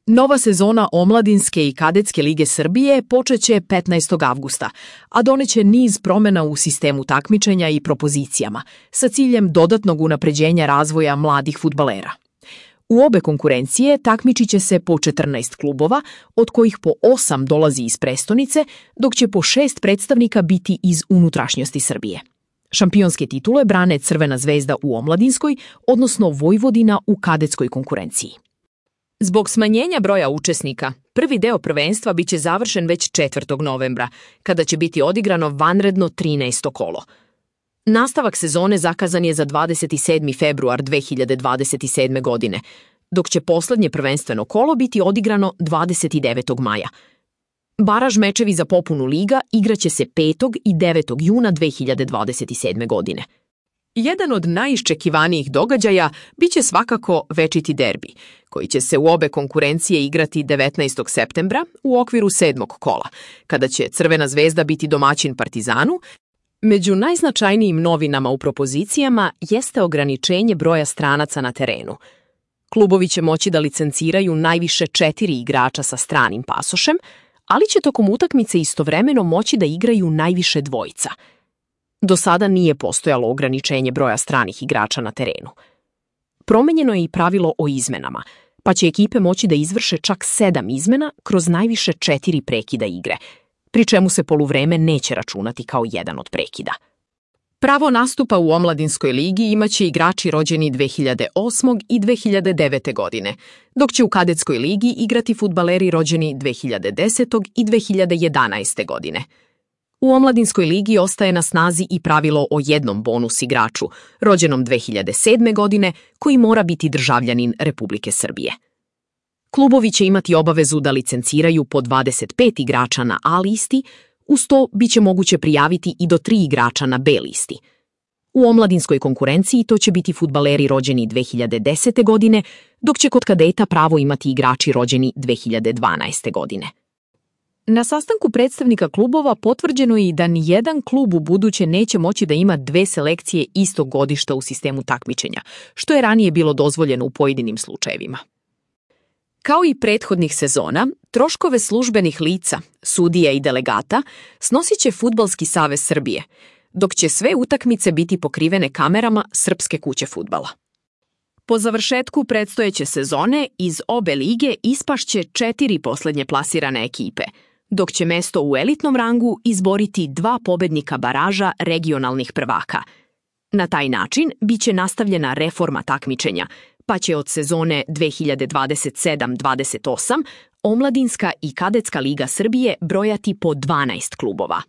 Nova sezona Omladinske i Kadetske lige Srbije počeće 15. avgusta, a doneće niz promjena u sistemu takmičenja i propozicijama, sa ciljem dodatnog unapređenja razvoja mladih fudbalera. U obe konkurencije takmičit će se po 14 klubova, od kojih po 8 dolazi iz prestonice, dok će po 6 predstavnika biti iz unutrašnjosti Srbije. Šampionske titule brane Crvena zvezda u Omladinskoj, odnosno Vojvodina u kadetskoj konkurenciji. Zbog smanjenja broja učesnika, prvi deo prvenstva biće završen već 4. novembra, kada će biti odigrano vanredno 13. kolo. Nastavak sezone zakazan je za 27. februar 2027. godine, dok će poslednje prvenstveno kolo biti odigrano 29. maja. Baraž mečevi za popunu liga igraće se 5. i 9. juna 2027. godine. Jedan od najiščekivanijih događaja biće svakako večiti derbi, koji će se u obe konkurencije igrati 19. septembra u okviru 7. kola, kada će Crvena zvezda biti domaćin Partizanu. Među najznačajnijim novinama u propozicijama jeste ograničenje broja stranaca na terenu. Klubovi će moći da licenciraju najviše 4 igrača sa stranim pasošem, ali će tokom utakmice istovremeno moći da igraju najviše dvojica. Do sada nije postojalo ograničenje broja stranih igrača na terenu. Promenjeno je i pravilo o izmenama, pa će ekipe moći da izvrše čak 7 izmena kroz najviše 4 prekida igre, pri čemu se poluvreme neće računati kao jedan od prekida. Pravo nastupa u Omladinskoj ligi imaće igrači rođeni 2008. i 2009. godine, dok će u Kadetskoj ligi igrati fudbaleri rođeni 2010. i 2011. godine. U Omladinskoj ligi ostaje na snazi i pravilo o jednom bonus igraču, rođenom 2007. godine, koji mora biti državljanin Republike Srbije. Klubovi će imati obavezu da licenciraju po 25 igrača na A listi, uz to biće moguće prijaviti i do 3 igrača na B listi. U omladinskoj konkurenciji to će biti fudbaleri rođeni 2010. godine, dok će kod kadeta pravo imati igrači rođeni 2012. godine. Na sastanku predstavnika klubova potvrđeno je i da nijedan klub u buduće neće moći da ima 2 selekcije istog godišta u sistemu takmičenja, što je ranije bilo dozvoljeno u pojedinim slučajevima. Kao i prethodnih sezona, troškove službenih lica, sudija i delegata snosit će Fudbalski savez Srbije, dok će sve utakmice biti pokrivene kamerama Srpske kuće fudbala. Po završetku predstojeće sezone iz obe lige ispašće 4 poslednje plasirane ekipe, dok će mesto u elitnom rangu izboriti 2 pobednika baraža regionalnih prvaka. Na taj način biće nastavljena reforma takmičenja, pa će od sezone 2027-28 Omladinska i Kadetska liga Srbije brojati po 12 klubova.